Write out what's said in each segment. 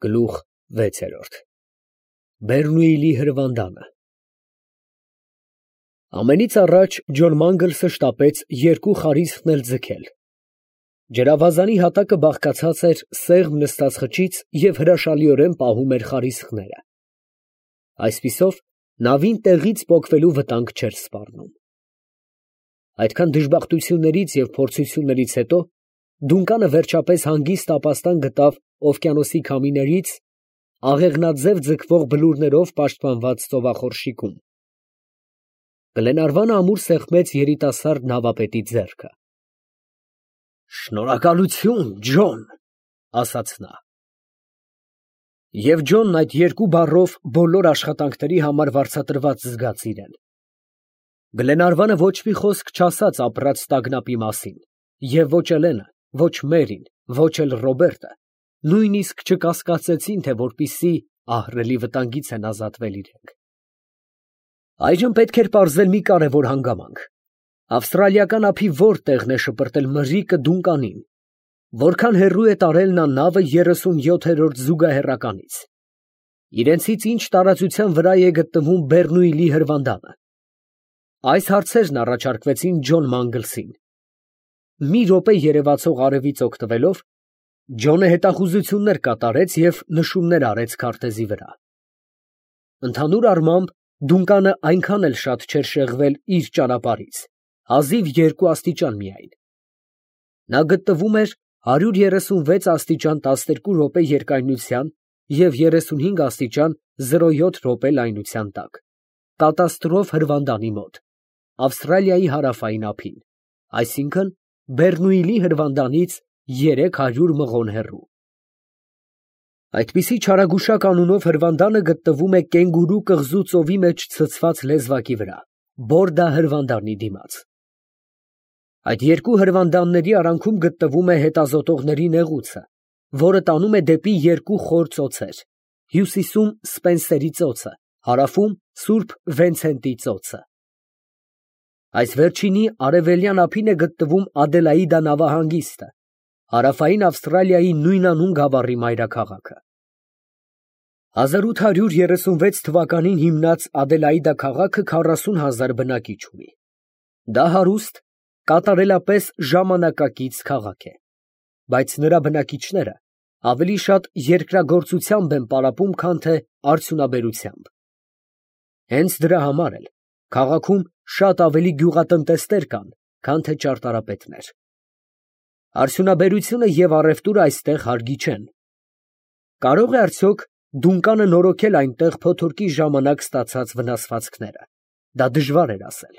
Գլուխ 6 Բեռնուիլի հրվանդանը Ամենից առաջ Ջոն Մանգլսը շտապեց երկու խարիսխն էլ ձգել։ Ջրավազանի հատակը բաղկացած էր սեղմ նստած խճից և հրաշալիորեն պահում էր խարիսխները։ Այսպիսով, նավին տեղից պոկվելու վտանգ չէր սպառնում։ Այդքան դժբախտություններից և փորձություններից հետո Դունկանը վերջապես հանգիստ ապաստան գտավ օվկիանոսի քամիներից աղեղնաձև ձգվող բլուրներով պաշտպանված ծովախորշիկում։ Գլենարվանը ամուր սեղմեց երիտասարդ նավապետի ձեռքը։ «Շնորհակալություն, Ջոն», ասաց նա։ Եվ Ջոնն այդ երկու բառով բոլոր աշխատանքների համար վարձատրված զգաց իրեն։ Գլենարվանը ոչ մի խոսք չասաց ապրած տագնապի մասին, և ոչ Էլենը, ոչ Մերին, ոչ էլ Ռոբերտը նույնիսկ չկասկածեցին, թե որպիսի ահռելի վտանգից են ազատվել իրենք։ Այժմ պետք էր պարզել մի կարևոր հանգամանք. ավստրալիական ափի որ տեղն է շպրտել մրրիկը Դունկանին, որքան հեռու է տարել նա նավը 37-րդ զուգահեռականից, իրենցից ինչ տարածության վրա է գտնվում Բեռնուիլի հրվանդանը։ Այս հարցերն առաջարկվեցին Ջոն Մանգլսին։ Մի րոպե երևացող արևից օգտվելով, Ջոնը հետախուզություններ կատարեց և նշումներ արեց քարտեզի վրա։ Ընդհանուր առմամբ, Դունկանը այնքան էլ շատ չէր շեղվել իր ճանապարհից, հազիվ 2 աստիճան միայն։ Նա գտնվում էր 136 աստիճան 12 րոպե երկայնության և 35 աստիճան 07 րոպե լայնության տակ, կատաստրոֆ հրվանդանի մոտ, Ավստրալիայի հարավային ափին, այսինքն Բեռնուիլի հրվանդանից 300 մղոն հեռու։ Այդպիսի չարագուշակ անունով հրվանդանը գտնվում է Կենգուրու կղզու ծովի մեջ ցցված լեզվակի վրա, Բորդա հրվանդանի դիմաց։ Այդ երկու հրվանդանների արանքում գտնվում է հետազոտողների նեղուցը, որը տանում է դեպի երկու խոր ծոցեր, հյուսիսում Սպենսերի ծոցը, հարավում Սուրբ Վենցենտի ծոցը։ Այս վերջինի արևելյան ափին է գտնվում Ադելաիդա նավահանգիստը, հարավային Ավստրալիայի նույնանուն գավառի մայրաքաղաքը։ 1836 թվականին հիմնած Ադելաիդա քաղաքը 40,000 բնակիչ ունի։ Դա հարուստ, կատարելապես ժամանակակից քաղաք է, բայց նրա բնակիչները ավելի շատ երկրագործությամբ են պարապում, քան թե արդյունաբերությամբ։ Հենց դրա համար էլ քաղաքում շատ ավելի գյուղատնտեսներ կան, քան թե ճարտարապետներ։ Արդյունաբերությունը և առևտուրը այստեղ հարգի չեն։ Կարող է արդյոք Դունկանը նորոգել այնտեղ փոթորկի ժամանակ ստացած վնասվածքները։ Դա դժվար էր ասել։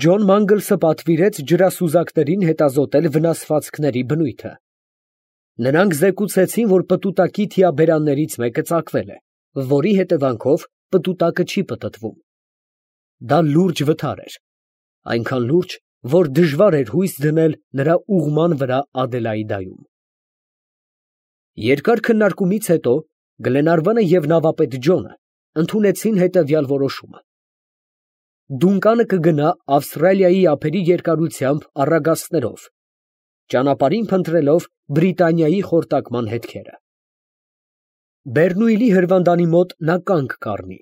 Ջոն Մանգլսը պատվիրեց ջրասուզակներին հետազոտել վնասվածքների բնույթը։ Նրանք զեկուցեցին, որ պտուտակի թիաբերաններից մեկը ծակվել է, որի հետևանքով պտուտակը չի պտտվում։ Դա լուրջ վթար էր, այնքան լուրջ, որ դժվար էր հույս դնել նրա ուղղման վրա Ադելաիդայում։ Երկար քննարկումից հետո Գլենարվանը և նավապետ Ջոնը ընդունեցին հետևյալ որոշումը. Դունկանը կգնա Ավստրալիայի ափերի երկարությամբ առագաստներով, ճանապարհին փնտրելով Բրիտանիայի խորտակման հետքերը։ Բեռնուիլի հրվանդանի մոտ նա կանգ կառնի։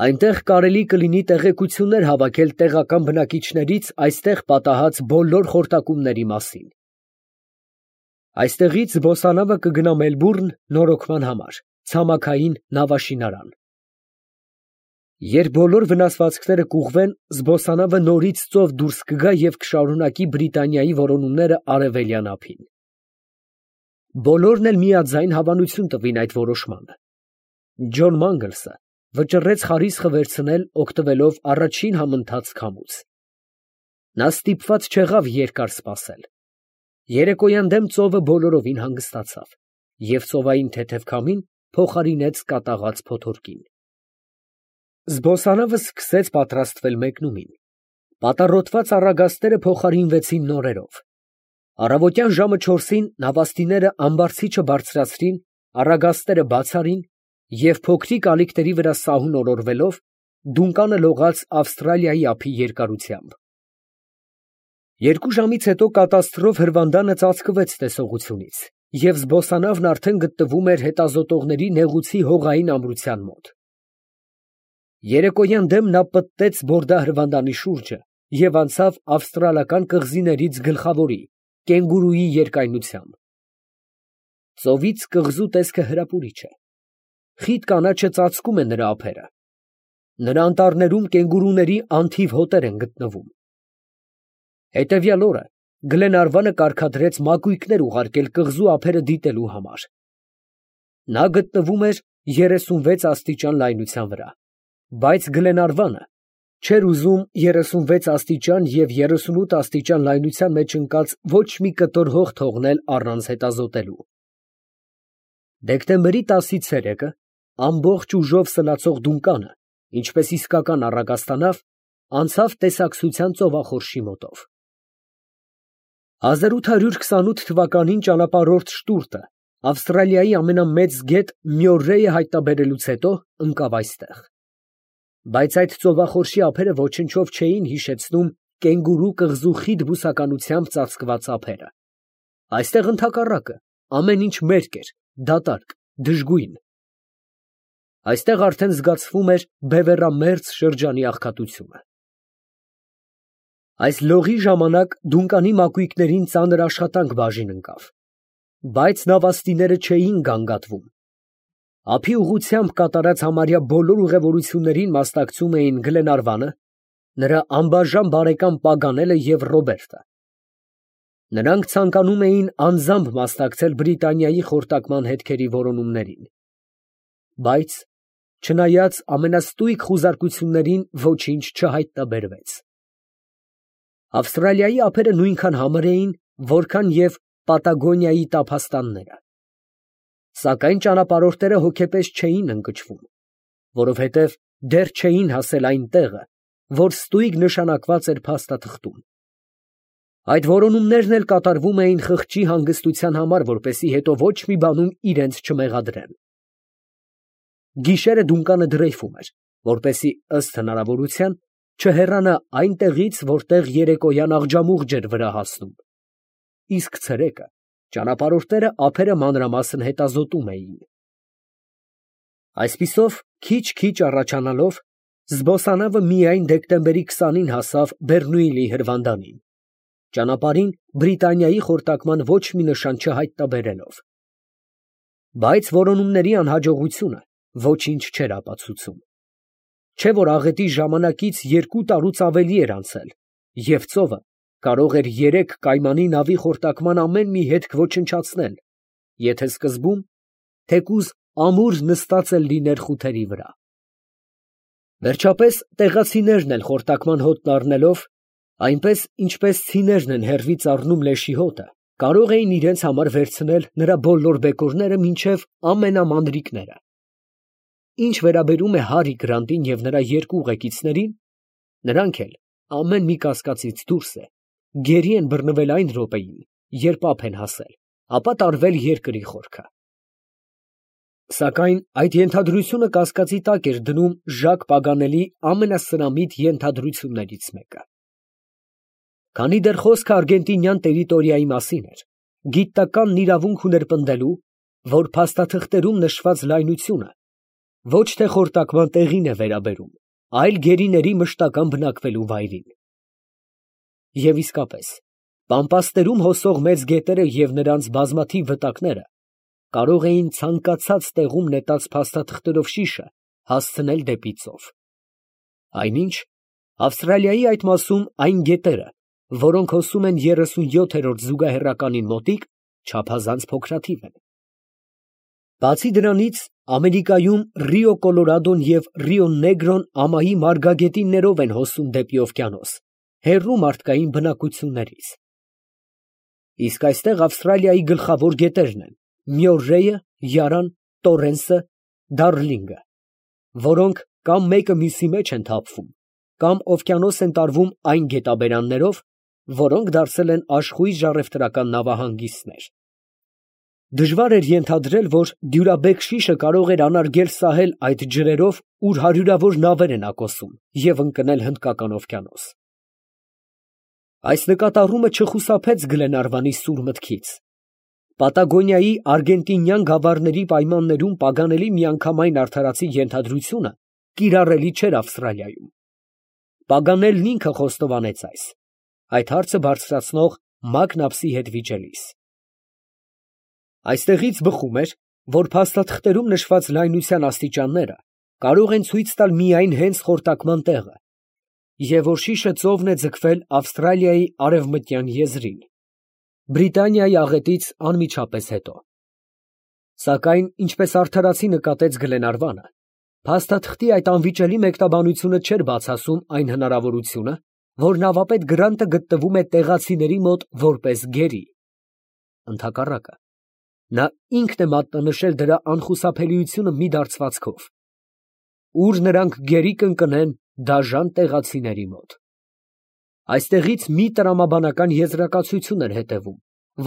Այնտեղ կարելի կլինի տեղեկություններ հավաքել տեղական բնակիչներից այստեղ պատահած բոլոր խորտակումների մասին։ Այստեղից զբոսանավը կգնա Մելբուրն նորոգման համար, ցամաքային նավաշինարան։ Երբ բոլոր վնասվածքները կուղղվեն, զբոսանավը նորից ծով դուրս կգա և կշարունակի Բրիտանիայի որոնումները արևելյան ափին։ Բոլորն էլ միաձայն հավանություն տվին այդ որոշմանը։ Ջոն Մանգլսը վճռեց խարիսխը վերցնել, օգտվելով առաջին համընթաց քամուց։ Նա ստիպված չեղավ երկար սպասել։ Երեկոյան դեմ ծովը բոլորովին հանգստացավ, և ծովային թեթև քամին փոխարինեց կատաղած փոթորկին։ Զբոսանավը սկսեց պատրաստվել մեկնումին։ Պատառոտված առագաստերը փոխարինվեցին նորերով։ Առավոտյան ժամը 4-ին նավաստիները ամբարձիչը բարձրացրին, առագաստերը բաց արին և փոքրիկ ալիքների վրա սահուն օրորվելով, Դունկանը լողաց Ավստրալիայի ափի երկարությամբ։ 2 ժամից հետո կատաստրոֆ հրվանդանը ծածկվեց տեսողությունից և զբոսանավն արդեն գտնվում էր հետազոտողների նեղուցի հողային ամրության մոտ։ Երեկոյան դեմ նա պտտեց բորդահրվանդանի շուրջը և անցավ ավստրալական կղզիներից գլխավորի, կենգուրուի երկայնությամբ։ Ծովից կղզու տեսքը հրապուրիչ է։ Խիտ կանաչը ծածկում է նրա ափերը։ Նրա անտառներում կենգուրուների անթիվ հոտեր են գտնվում։ Հետևյալ օրը Գլենարվանը կարգադրեց մակույկներ ուղարկել կղզու ափերը դիտելու համար։ Նա գտնվում էր 36 աստիճան լայնության վրա, բայց Գլենարվանը չէր ուզում 36 աստիճան և 38 աստիճան լայնության մեջ ընկած ոչ մի կտոր հող թողնել առանց հետազոտելու։ Դեկտեմբերի 10-ից ցերեկը ամբողջ ուժով սլացող Դունկանը, ինչպես իսկական առագաստանավ, անցավ տեսակցության ծովախորշի մոտով։ 1828 թվականին ճանապարհորդ Շտուրտը Ավստրալիայի ամենամեծ գետ Մյորրեյը հայտնաբերելուց հետո ընկավ այստեղ։ Բայց այդ ծովախորշի ափերը ոչնչով չէին հիշեցնում կենգուրու կղզու խիտ բուսականությամբ ծածկված ափերը։ Այստեղ ընդհակառակը ամեն ինչ մերկ էր, դատարկ, դժգույն։ Այստեղ արդեն զգացվում էր բևեռամերձ շրջանի աղքատությունը։ Այս լողի ժամանակ Դունկանի մակույկներին ծանր աշխատանք բաժին ընկավ, բայց նավաստիները չէին գանգատվում։ Ափի ուղղությամբ կատարած համարյա բոլոր ուղևորություններին մասնակցում էին Գլենարվանը, նրա անբաժան բարեկամ Պագանելը և Ռոբերտը։ Նրանք ցանկանում էին անձամբ մասնակցել Բրիտանիայի խորտակման հետքերի որոնումներին, բայց չնայած ամենաստույգ խուզարկություններին ոչինչ չհայտնաբերվեց։ Ավստրալիայի ափերը նույնքան համր էին, որքան և Պատագոնիայի տափաստանները։ Սակայն ճանապարհորդները հոգեպես չէին ընկճվում, որովհետև դեռ չէին հասել այն տեղը, որ ստույգ նշանակված էր փաստաթղթում։ Այդ որոնումներն էլ կատարվում էին խղճի հանգստության համար, որպեսզի հետո ոչ մի բանում իրենց չմեղադրեն։ Գիշերը Դունկանը դրեյֆում էր, որպեսզի ըստ հնարավորության չհեռանա այն տեղից, որտեղ երեկոյան աղջամուղջ էր վրա հասնում, իսկ ցերեկը ճանապարհորդները ափերը մանրամասն հետազոտում էին։ Այսպիսով, քիչ-քիչ առաջանալով, զբոսանավը միայն դեկտեմբերի 20-ին հասավ Բեռնուիլի հրվանդանին, ճանապարհին Բրիտանիայի խորտակման ոչ մի նշան չհայտնաբերելով։ Բայց որոնումների անհաջողությունը ոչինչ չէր ապացուցում։ Չէ որ աղետի ժամանակից 2 տարուց ավելի էր անցել, և ծովը կարող էր 3 կայմանի նավի խորտակման ամեն մի հետք ոչնչացնել, եթե սկզբում թեկուզ ամուր նստած էլ լիներ խութերի վրա։ Վերջապես տեղացիներն էլ խորտակման հոտն առնելով, այնպես ինչպես ցիներն են հեռվից առնում լեշի հոտը, կարող էին իրենց համար վերցնել նրա բոլոր բեկորները մինչև ամենամանրիկները։ Ինչ վերաբերում է Հարի Գրանտին և նրա 2 ուղեկիցներին, նրանք էլ ամեն մի կասկածից դուրս է, գերի են բռնվել այն րոպեին, երբ ափ են հասել, ապա տարվել երկրի խորքը։ Սակայն այդ ենթադրությունը կասկածի տակ էր դնում Ժակ Պագանելի ամենասրամիտ ենթադրություններից մեկը։ Քանի դեռ խոսքը արգենտինյան տերիտորիայի մասին էր, գիտնականն իրավունք ուներ պնդելու, որ փաստաթղթերում նշված լայնությունը ոչ թե խորտակման տեղին է վերաբերում, այլ գերիների մշտական բնակվելու վայրին։ Եվ իսկապես, Պամպասներում հոսող մեծ գետերը և նրանց բազմաթիվ վտակները կարող էին ցանկացած տեղում նետած փաստաթղթերով շիշը հասցնել դեպի ծով։ Այնինչ, Ավստրալիայի այդ մասում այն գետերը, որոնք հոսում են 37-րդ զուգահեռականին մոտիկ, չափազանց փոքրաթիվ են։ Բացի դրանից, Ամերիկայում Ռիո Կոլորադոն և Ռիո Նեգրոն ամայի մարգագետիններով են հոսում դեպի օվկիանոս, հեռու մարդկային բնակություններից։ Իսկ այստեղ Ավստրալիայի գլխավոր գետերն են Մյորրեյը, Յարան, Տորենսը, Դարլինգը, որոնք կամ մեկը մյուսի մեջ են թափվում, կամ օվկիանոս են տարվում այն գետաբերաններով, որոնք դարձել են աշխույժ առևտրական նավահանգիստներ։ Դժվար էր ենթադրել, որ դյուրաբեկ շիշը կարող էր անարգել սահել այդ ջրերով, ուր հարյուրավոր նավեր են ակոսում, և ընկնել Հնդկական օվկիանոս։ Այս նկատառումը չխուսափեց Գլենարվանի սուր մտքից, Պատագոնիայի արգենտինյան գավառների պայմաններում պագանելի միանգամայն արդարացի ենթադրությունը կիրառելի չէր Ավստրալիայում։ Պագանելն ինքը խոստովանեց այդ հարցը բարձրացնող մակնապսի հետ վիճելիս։ Այստեղից բխում էր, որ փաստաթղթերում նշված լայնության աստիճանները կարող են ցույց տալ միայն հենց խորտակման տեղը, և որ շիշը ծովն է ձգվել Ավստրալիայի արևմտյան եզրին, Բրիտանիայի աղետից անմիջապես հետո։ Սակայն, ինչպես արդարացի նկատեց Գլենարվանը, փաստաթղթի այդ անվիճելի մեկնաբանությունը չէր բացասում այն հնարավորությունը, որ նավապետ Գրանտը գտնվում է տեղացիների մոտ որպես գերի։ Ընդհակառակը, նա ինքն է մատնանշել դրա անխուսափելիությունը մի դարձվածքով, ուր նրանք գերի կընկնեն դաժան տեղացիների մոտ։ Այստեղից մի տրամաբանական եզրակացություն էր հետևում,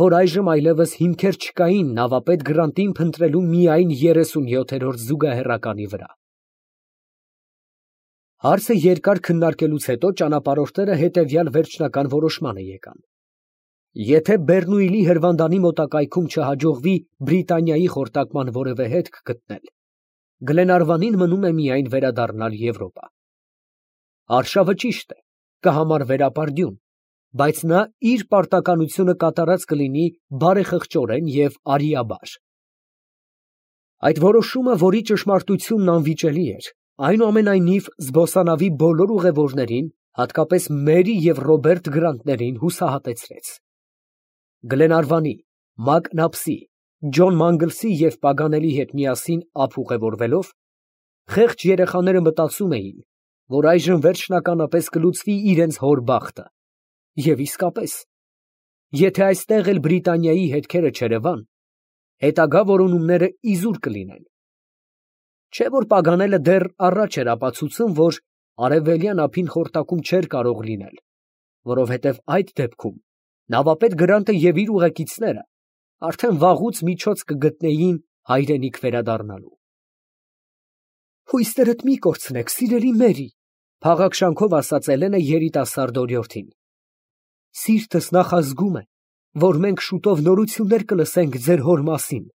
որ այժմ այլևս հիմքեր չկային նավապետ Գրանտին փնտրելու միայն 37-րդ զուգահեռականի վրա։ Հարցը երկար քննարկելուց հետո ճանապարհորդները հետևյալ վերջնական որոշմանը եկան. եթե Բեռնուիլի հրվանդանի մոտակայքում չհաջողվի Բրիտանիայի խորտակման որևէ հետք գտնել, Գլենարվանին մնում է միայն վերադառնալ Եվրոպա։ Արշավը ճիշտ է, կհամարվեր ապարդյուն, բայց նա իր պարտականությունը կատարած կլինի բարեխղճորեն և արիաբար։ Այդ որոշումը, որի ճշմարտությունն անվիճելի էր, այնուամենայնիվ զբոսանավի բոլոր ուղևորներին, հատկապես Մերի և Ռոբերտ Գրանտներին հուսահատեցրեց։ Գլենարվանի, Մակնապսի, Ջոն Մանգլսի և Պագանելի հետ միասին ափ ուղևորվելով, խեղճ երեխաները մտածում էին, որ այժմ վերջնականապես կլուծվի իրենց հոր բախտը, և իսկապես, եթե այստեղ էլ Բրիտանիայի հետքերը չերևան, հետագա որոնումները իզուր կլինեն։ Չէ՞ որ Պագանելը դեռ առաջ էր ապացուցում, որ արևելյան ափին խորտակում չէր կարող լինել, որովհետև այդ դեպքում նավապետ Գրանտը և իր ուղեկիցները արդեն վաղուց միջոց կգտնեին հայրենիք վերադառնալու։ «Հույսերդ մի կորցնեք, սիրելի Մերի», ֊ փաղաքշանքով ասաց Էլենը երիտասարդ օրիորդին։ «Սիրտս նախազգում է, որ մենք շուտով նորություններ կլսենք ձեր հոր մասին»։